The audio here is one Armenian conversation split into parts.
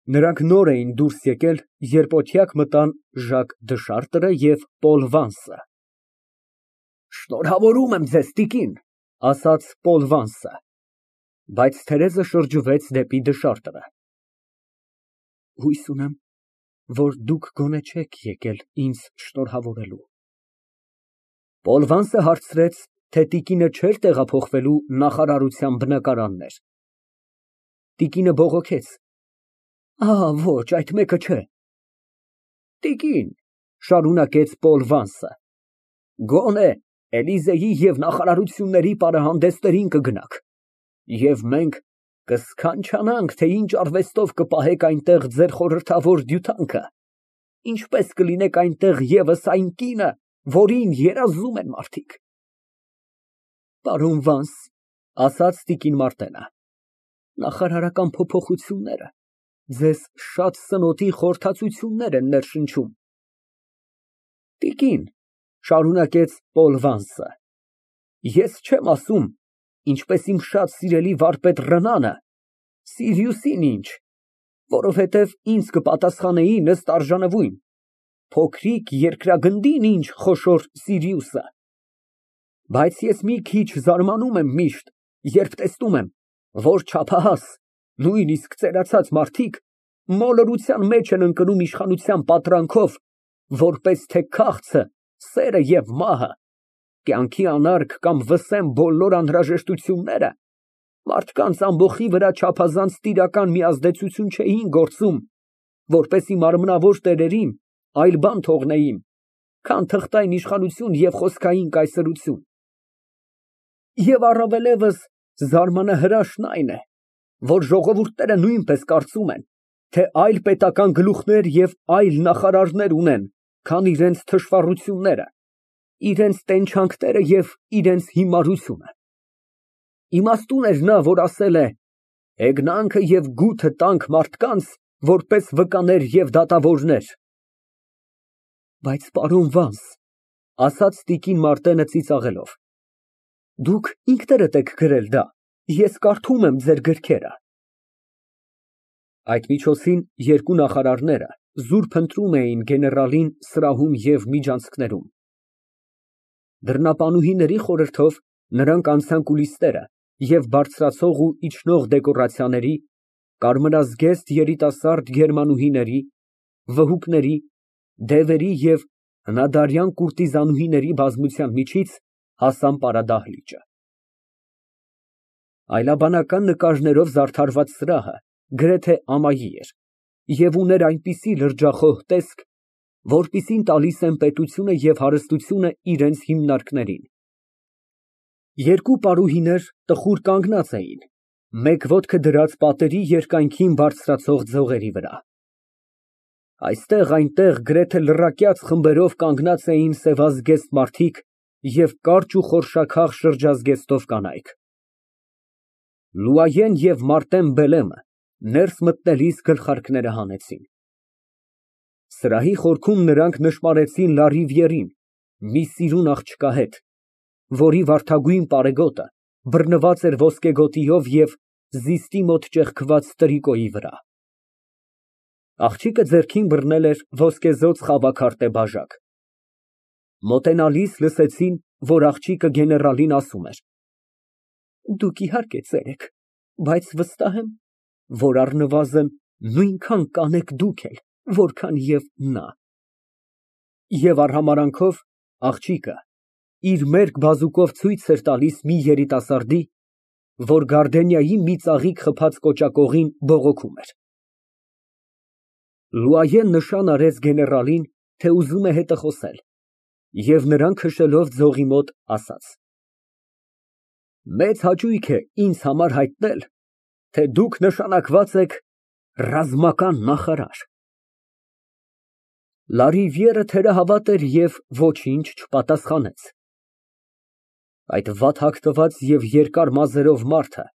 Նրանք նոր էին դուրս եկել, երբ օթյակ մտան Ժակ Դշարտը և Պոլ Վանսը։ Շնորհավորում եմ ձեզ, տիկին, ասաց Պոլ Վանսը, բայց Թերեզը շրջվեց դեպի Դշարտը։ Հույս ունեմ, որ դուք գոնե չեք եկել ինձ շնորհավորելու։ Պոլ Վանսը հարցրեց, թե տիկինը չէր տեղափոխվելու նախարարության բնակարաններ։ Տիկինը բողոքեց. Ոչ, այդ մեկը չէ։ Տիկին, շարունակեց Պոլ Վանսը, գոնե Էլիզեի և նախարարությունների պարահանդեսներին կգնաք, և մենք կսքանչանանք, թե ինչ արվեստով կպահեք այնտեղ ձեր խորհրդավոր դյուտանքը, ինչպես կլինեք այնտեղ ևս այն կինը, որին երազում են մարդիկ։ Պարոն Վանս, ասաց տիկին Մարտենը, նախարարական փոփոխությունները ձեզ շատ սնոտի խորհրդածություններ են ներշնչում։ Տիկին, շարունակեց Պոլ Վանսը, ես չեմ ասում, ինչպես իմ շատ սիրելի վարպետ Ռնանը, Սիրիուսին ինչ, որովհետև ինձ կպատասխանեին ըստ արժանվույն, փոքրիկ երկրագնդին ինչ խոշոր Սիրիուսը։ Բայց ես մի քիչ զարմանում եմ միշտ, երբ տեսնում եմ, որ չափահաս, նույնիսկ ծերացած մարդիկ մոլորության մեջ են ընկնում իշխանության պատրանքով, որպես թե քաղցը, սերը և մահը, կյանքի անարգ կամ վսեմ բոլոր անհրաժեշտությունները մարդկանց ամբոխի վրա չափազանց տիրական մի ազդեցություն չէին գործում, որպեսզի մարմնավոր տերերին այլ բան թողնեին, քան թղթային իշխանություն և խոսքային կայսրություն։ Եվ առավելևս զարմանահրաշն այն է, որ ժողովուրդները նույնպես կարծում են, թե այլ պետական գլուխներ և այլ նախարարներ ունեն, քան իրենց թշվառությունները, իրենց տենչանքները և իրենց հիմարությունը։ Իմաստուն էր նա, որ ասել է. «Հեգնանքը և գութը տանք մարդկանց, որպես վկաներ և դատավորներ»։ Բայց պարոն Վանս, ասաց տիկին Մարտենը ծիծաղելով, դուք ինքներդ եք գրել դա, ես կարդում եմ ձեր գրքերը։ Այդ միջոցին երկու նախարարները զուր փնտրում էին գեներալին սրահում և միջանցքներում։ Դռնապանուհիների խորհրդով նրանք անցան կուլիսները և բարձրացող ու իջնող դեկորացիաների, կարմրազգեստ երիտասարդ գերմանուհիների, վհուկների, դևերի և հնադարյան կուրտիզանուհիների բազմության միջից հասան պարադահլիճը։ Այլաբանական նկարներով զարդարված սրահը գրեթե ամայի էր և ուներ այնպիսի լրջախոհ տեսք, որպիսին տալիս են պետությունը և հարստությունը իրենց հիմնարկներին։ Երկու պարուհիներ տխուր կանգնած էին, մեկ ոտքը դրած պատերի երկայնքին բարձրացող ձողերի վրա։ Այստեղ֊այնտեղ գրեթե լրակյաց խմբերով կանգնած էին սևազգեստ մարդիկ և կարճ ու խորշաքաղ շրջազգեստով կանայք։ Լուայեն և Մարտեն Բելեմը ներս մտնելիս գլխարկները հանեցին։ Սրահի խորքում նրանք նշմարեցին Լարիվիերին, մի սիրուն աղջկա հետ, որի վարդագույն պարեգոտը բռնված էր ոսկեգոտիով և զիստի մոտ ճեղքված տրիկոյի վրա։ Աղջիկը ձեռքին բռնել էր ոսկեզօծ խաբաքարտե բաժակ։ Մոտենալիս լսեցին, որ աղջիկը գեներալին ասում էր. Դուք իհարկե ծեր եք, բայց վստահ եմ, որ առնվազն նույնքան կանեք դուք էլ, որքան և նա։ Եվ արհամարհանքով աղջիկը իր մերկ բազուկով ցույց էր տալիս մի երիտասարդի, որ գարդենիայի մի ծաղիկ խփած կոճակողին բողոքում էր։ Լուայեն նշան արեց գեներալին, թե ուզում է հետը խոսել, և նրան քշելով ձողի մոտ, ասաց. Մեծ հաճույք է ինձ համար հայտնել, թե դուք նշանակված եք ռազմական նախարար։ Լարիվիերը թերահավատ էր և ոչինչ չպատասխանեց։ Այդ վատ հագնված և երկար մազերով մարդը,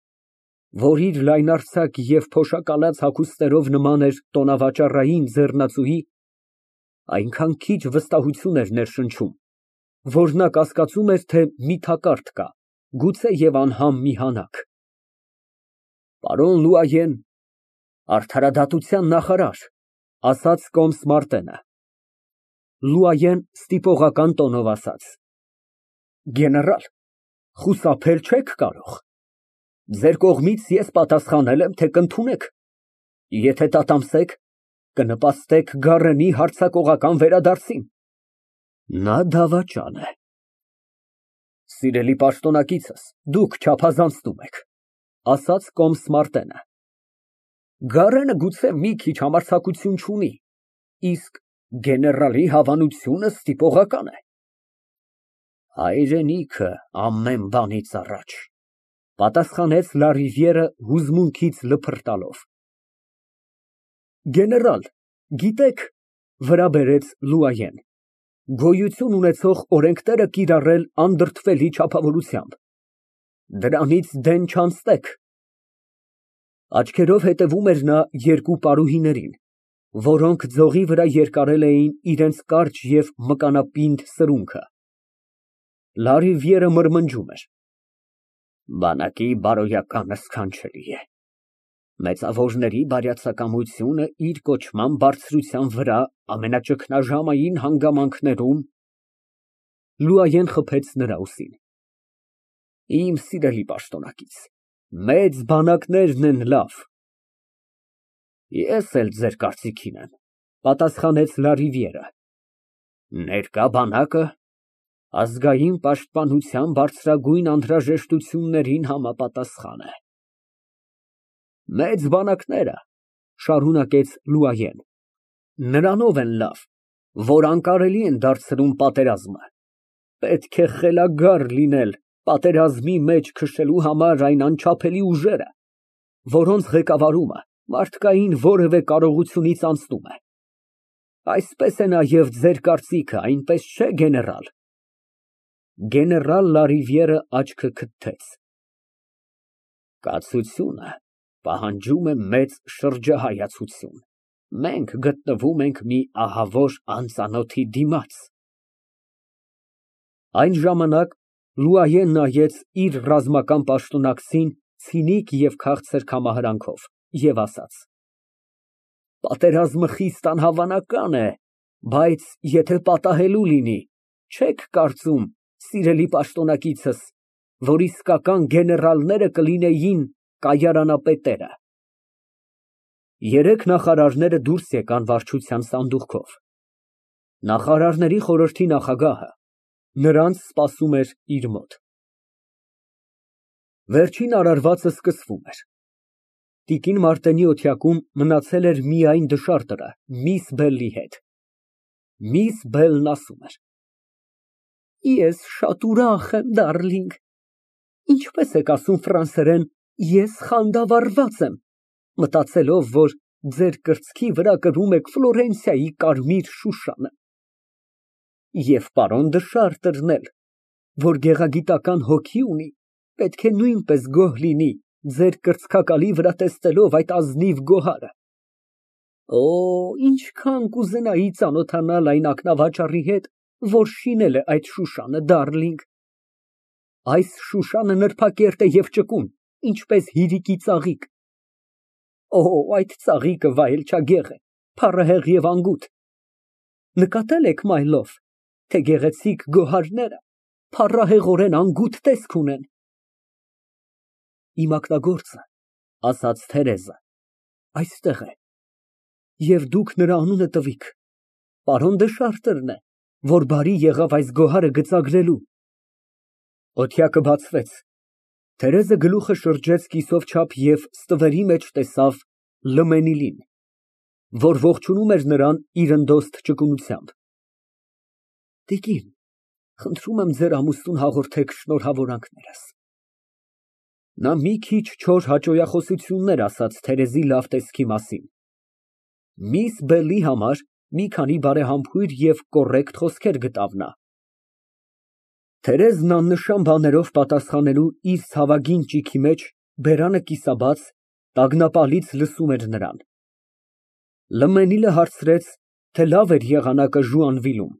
որ իր լայնարձակ և փոշակալած հագուստներով նման էր տոնավաճառային ձեռնածուի, այնքան քիչ վստահություն էր ներշնչում, որ նա կասկածում էր, թե մի թակարդ կա, գուցե և անհամ մի հանակ։ Պարոն Լուայեն, Արդարադատության նախարար, ասաց կոմս Մարտենը։ Լուայեն ստիպողական տոնով ասաց. Գեներալ, խուսափել չեք կարող։ Ձեր կողմից ես պատասխանել եմ, թե կընդունեք։ Եթե տատամսեք, կնպաստեք Գառենի հարձակողական վերադարձին։ Նա դավաճան է։ Սիրելի պաշտոնակիցս, դուք չափազանցնում եք, ասաց կոմս Մարտենը։ Գառենը գուցե մի քիչ համարձակություն չունի, իսկ գեներալի հավանությունը ստիպողական է։ Հայրենիքը ամեն բանից առաջ, պատասխանեց Լարիվիերը հուզմունքից լփրտալով։ Գեներալ, գիտեք, վրա բերեց Լուայեն, գոյություն ունեցող օրենքները կիրառել անդրդվելի չափավորությամբ։ Դրանից դեն չանցնեք։ Աչքերով հետևում էր նա երկու պարուհիներին, որոնք ձողի վրա երկարել էին իրենց կարճ և մկանապինդ սրունքը։ Լարիվիերը մրմնջում էր. Բանակի բարոյականը սքանչելի է։ Մեծավորների բարյացակամությունը իր կոչման բարձրության վրա ամենաճգնաժամային հանգամանքներում… Լուայեն խփեց նրա ուսին։ Իմ սիրելի պաշտոնակից, մեծ բանակներն են լավ։ Ես էլ ձեր կարծիքին եմ, պատասխանեց Լարիվիերը։ Ներկա բանակը ազգային պաշտպանության բարձրագույն անհրաժեշտություններին համապատասխան է։ Մեծ բանակները, շարունակեց Լուայեն, նրանով են լավ, որ անկարելի են դարձնում պատերազմը։ Պետք է խելագար լինել պատերազմի մեջ քշելու համար այն անչափելի ուժերը, որոնց ղեկավարումը մարդկային որևէ կարողությունից անցնում է։ Այսպես է նաև ձեր կարծիքը, այնպես չէ, գեներալ։ Գեներալ Լարիվիերը աչքը քթեց։ Կացությունը պահանջում է մեծ շրջահայացություն։ Մենք գտնվում ենք մի ահավոր անծանոթի դիմաց։ Այն ժամանակ Լուայեն նայեց իր ռազմական պաշտոնակցին ցինիկ և քաղցր կամահարանքով և ասաց. Պատերազմը խիստ անհավանական է, բայց եթե պատահելու լինի, չեք կարծում, սիրելի պաշտոնակիցս, որ իսկական գեներալները կլինեին կայարանապետերը։ Երեք նախարարները դուրս եկան վարչության սանդուղքով։ Նախարարների խորհրդի նախագահը նրանց սպասում էր իր մոտ։ Վերջին արարվածը սկսվում էր։ Տիկին Մարտենի օթյակում մնացել էր միայն դշարտը միս Բելլի հետ։ Միս Բելլն ասում էր. Ես շատ ուրախ եմ, դարլինգ։ Ինչպես եք ասում ֆրանսերեն, ես խանդավառված եմ, մտածելով, որ ձեր կրծքի վրա կրում եք Ֆլորենցիայի կարմիր շուշանը։ Եվ պարոն դշարտն էլ, որ գեղագիտական հոգի ունի, պետք է նույնպես գոհ լինի ձեր կրծքակալի վրա տեսնելով այդ ազնիվ գոհարը։ Օ, ինչքան կուզենայի ծանոթանալ այն ակնավաճառի հետ, որ շինել է այդ շուշանը, դարլինգ։ Այս շուշանը նրբակերտ է և ճկուն, ինչպես հիրիկի ծաղիկ։ Օ, այդ ծաղիկը վայելչագեղ է, փառահեղ և անգութ։ Նկատել եք, my love, թե գեղեցիկ գոհարները փառահեղորեն անգութ տեսք ունեն։ Իմ ակնագործը, ասաց Թերեզը, այստեղ է, և դուք նրա անունը տվիք, պարոն դշարտն է, որ բարի եղավ այս գոհարը գծագրելու։ Օթյակը բացվեց, Թերեզը գլուխը շրջեց կիսով չափ և ստվերի մեջ տեսավ Լմենիլին, որ ողջունում էր նրան իր ընդոստ ճկունությամբ։ Տիկին, խնդրում եմ ձեր ամուսնուն հաղորդեք շնորհավորանքներս։ Նա մի քիչ չոր հաճոյախոսություններ ասաց Թերեզի լավ տեսքի մասին։ Միս Բելլի համար մի քանի բարեհամբույր և կոռեկտ խոսքեր գտավ նա։ Թերեզն աննշան բաներով պատասխանելու իր ցավագին ճիգի մեջ բերանը կիսաբաց, տագնապալից լսում էր նրան։ Լմենիլը հարցրեց, թե լավ էր եղանակը Ժուանվիլում։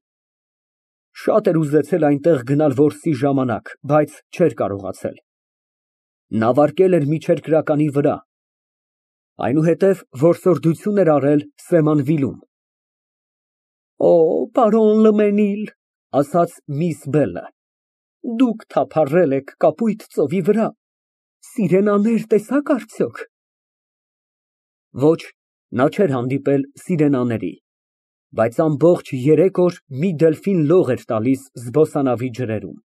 Շատ էր ուզեցել այնտեղ գնալ որսի ժամանակ, բայց չէր կարողացել։ Նա վարկել էր միջերկրականի վրա, Այնուհետև որսորդություն էր արել սեման վիլում։ Օ, պարոն Լմենիլ, ասաց միս Բելը, դուք թափառել եք կապույտ ծովի վրա, սիրենաներ տեսա՞ք արդյոք։ Ոչ, նա չէր հանդիպել սիրենաների, բայց ամբողջ 3 օր մի դելֆին լող էր տալիս զբոսանավի ջրերում։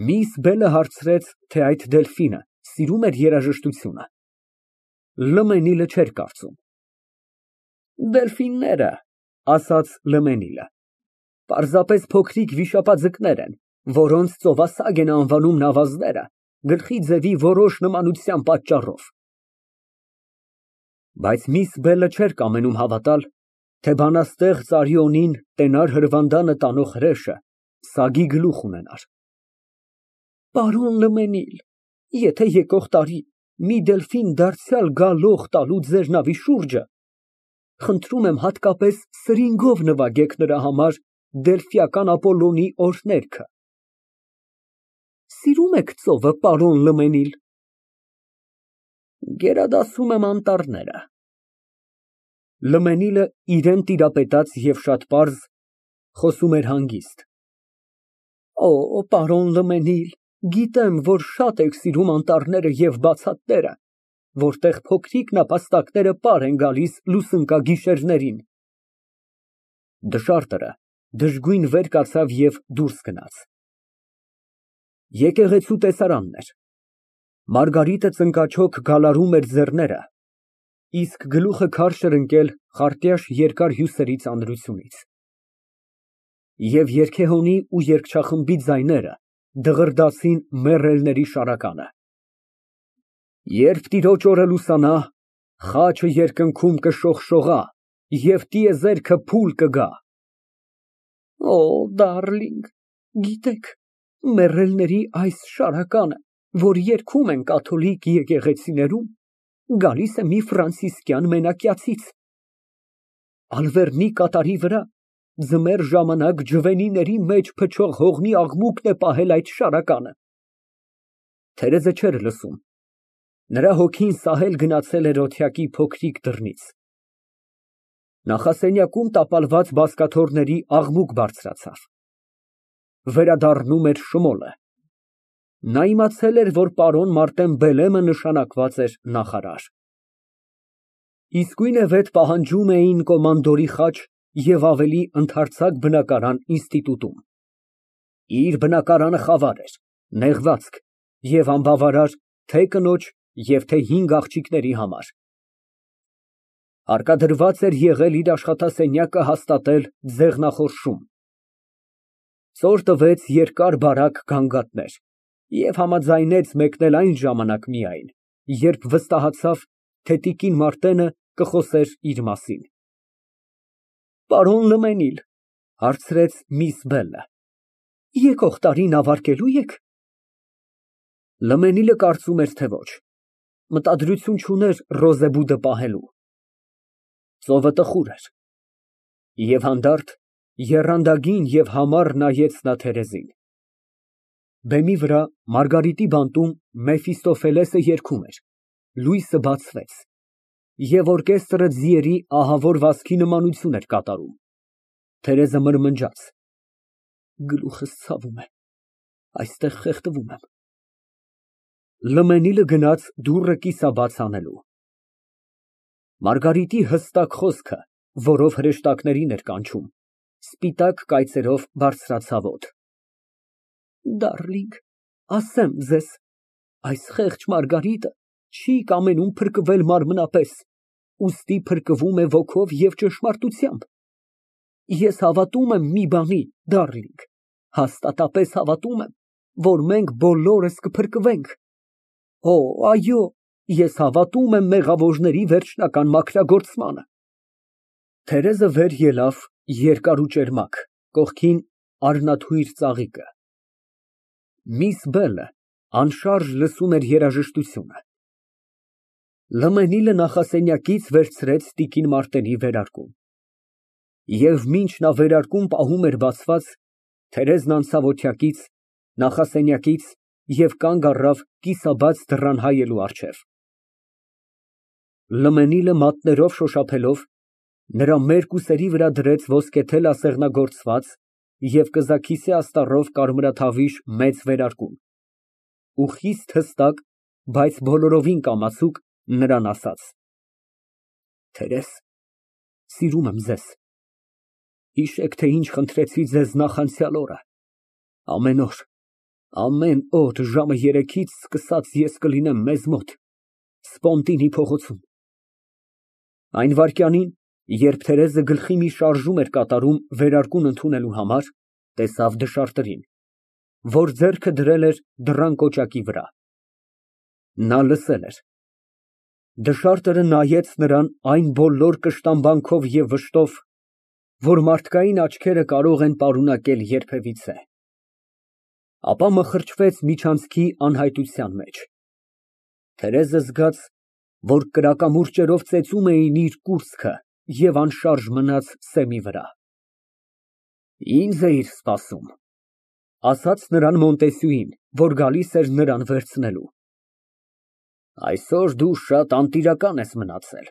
Միս Բելը հարցրեց, թե այդ դելֆինը սիրում էր երաժշտությունը։ Լմենիլը չէր կարծում։ Դելֆինները, ասաց Լմենիլը, պարզապես փոքրիկ վիշապաձկներ են, որոնց ծովասագ են անվանում նավազները գլխի ձևի որոշ նմանության պատճառով։ Բայց միս Բելը չէր կամենում հավատալ, թե բանաստեղծ Արիոնին տենար հրվանդանը տանող հրեշը սագի գլուխ ունենար։ Պարոն Լմենիլ, եթե եկող տարի մի դելֆին դարձյալ գա լող տալու ձեր նավի շուրջը, խնդրում եմ հատկապես սրինգով նվագեք նրա համար Դելֆիական Ապոլլոնի օրհներգը։ Սիրում եք ծովը, պարոն Լմենիլ։ Գերադասում եմ անտառները։ Լմենիլը իրան տիրապետած և շատ պարզ, խոսում էր հանգիստ։ Օ, պարոն Լմենիլ, գիտեմ, որ շատ եք սիրում անտառները և բացատները, որտեղ փոքրիկ նապաստակները պար են գալիս լուսնկագիշերներին։ Դշարտերը դժգույն վեր կացավ և դուրս գնաց։ Եկեղեցու տեսարանն էր։ Մարգարիտը ծնկաչոք գալարում էր ձեռները, իսկ գլուխը քարշ էր ընկել խարտյաշ երկար հյուսերի ծանրությունից։ Եվ երգեհոնի ու երգչախմբի ձայները դղրդացին մեռելների շարականը։ Երբ տիրոջ օրը լուսանա, խաչը երկնքում կշողշողա և տիեզերքը փուլ կգա։ Օ, դարլինգ, գիտեք, մեռելների այս շարականը, որ երգում են կաթոլիկ եկեղեցիներում, գալիս է մի ֆրանցիսկյան մենակյացից։ Ալվերնի կատարի վրա ձմեռ ժամանակ ջվենիների մեջ փչող հողմի աղմուկն է պահել այդ շարականը։ Թերեզը չէր լսում, նրա հոգին սահել գնացել էր օթյակի փոքրիկ դռնից։ Նախասենյակում տապալված բազկաթոռների աղմուկ բարձրացավ։ Վերադառնում էր Շմոլը։ Նա իմացել էր, որ պարոն Մարտեն Բելեմը նշանակված էր նախարար։ Իսկույնևեթ պահանջում էին կոմանդորի խաչ և ավելի ընդարձակ բնակարան ինստիտուտում։ Իր բնակարանը խավար էր, նեղվածք և անբավարար թե կնոջ և թե 5 աղջիկների համար։ Հարկադրված էր եղել իր աշխատասենյակը հաստատել ձեղնախորշում։ Ծոր տվեց երկար բարակ գանգատներ և համաձայնեց մեկնել այն ժամանակ միայն, երբ վստահացավ, թե տիկին Մարտենը կխոսեր իր մասին։ Պարոն Լմենիլ, հարցրեց միս Բելը, եկող տարի նավարկելու եք։ Լմենիլը կարծում էր, թե ոչ, մտադրություն չուներ Ռոզեբուդը պահելու։ Ծովը տխուր էր։ Եվ հանդարտ, եռանդագին և համառ նայեց նա թերեզին։ Բեմի վրա Մարգարիտի բանտում Մեֆիստոֆելեսը երգում էր, լույսը բացվեց, և օրկեստրը ձիերի ահավոր վազքի նմանություն էր կատարում։ Թերեզը մրմնջաց. Գլուխս ցավում է, այստեղ խեղդվում եմ։ Լմենիլը գնաց դուռը կիսաբաց անելու։ Մարգարիտի հստակ խոսքը, որով հրեշտակներին էր կանչում, սպիտակ կայծերով բարձրացավ օդ։ Դարլինգ, ասեմ ձեզ, այս խեղճ Մարգարիտը չի կամենում փրկվել մարմնապես, ուստի փրկվում է ոգով և ճշմարտությամբ։ Ես հավատում եմ մի բանի, դարլինգ, հաստատապես հավատում եմ, որ մենք բոլորս կփրկվենք։ Օ, այո, ես հավատում եմ մեղավորների վերջնական մաքրագործմանը։ Թերեզը վեր ելավ երկար ու ճերմակ, կողքին արնաթույր ծաղիկը։ Միս Բելը անշարժ լսում էր երաժշտությունը։ Լմենիլը նախասենյակից վերցրեց տիկին Մարտենի վերարկուն։ Եվ մինչ նա վերարկուն պահում էր բացված, Թերեզն անցավ օթյակից, նախասենյակից և կանգ առավ կիսաբաց դռան հայելու առջև։ Լմենիլը մատներով շոշափելով, նրա մերկ ուսերի վրա դրեց ոսկեթել ասեղնագործված և կզաքիսե աստառով կարմրաթավիշ մեծ վերարկուն, ու խիստ հստակ, բայց բոլորովին կամացուկ նրան ասաց. «Տերես, սիրում եմ ձեզ, հիշեք, թե ինչ խնդրեցի ձեզ նախանցյալ օրը, ամեն օր ժամը 3-ից սկսած ես կլինեմ մեզ մոտ, Սպոնտինի փողոցում»։ Այն վայրկյանին, երբ Թերեզը գլխի մի շարժում էր կատարում վերարկուն ընդունելու համար, տեսավ դշարտրին, որ ձեռքը դրել էր դռան կոճակի վրա։ Նա լսել էր։ Դշարտրը նայեց նրան այն բոլոր կշտամբանքով և վշտով, որ մարդկային աչքերը կարող են պարունակել երբևիցե, ապա մխրճվեց միջանցքի անհայտության մեջ։ Թերեզը զգաց, որ կրակամուրճերով ծեծում էին իր կուրծքը և անշարժ մնաց սեմի վրա։ «Ինձ էիր սպասում», ֊ ասաց նրան Մոնտեսյուին, որ գալիս էր նրան վերցնելու։ «Այսօր դու շատ անտիրական ես մնացել,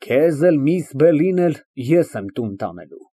քեզ էլ միս Բելին էլ ես եմ տուն տանելու»։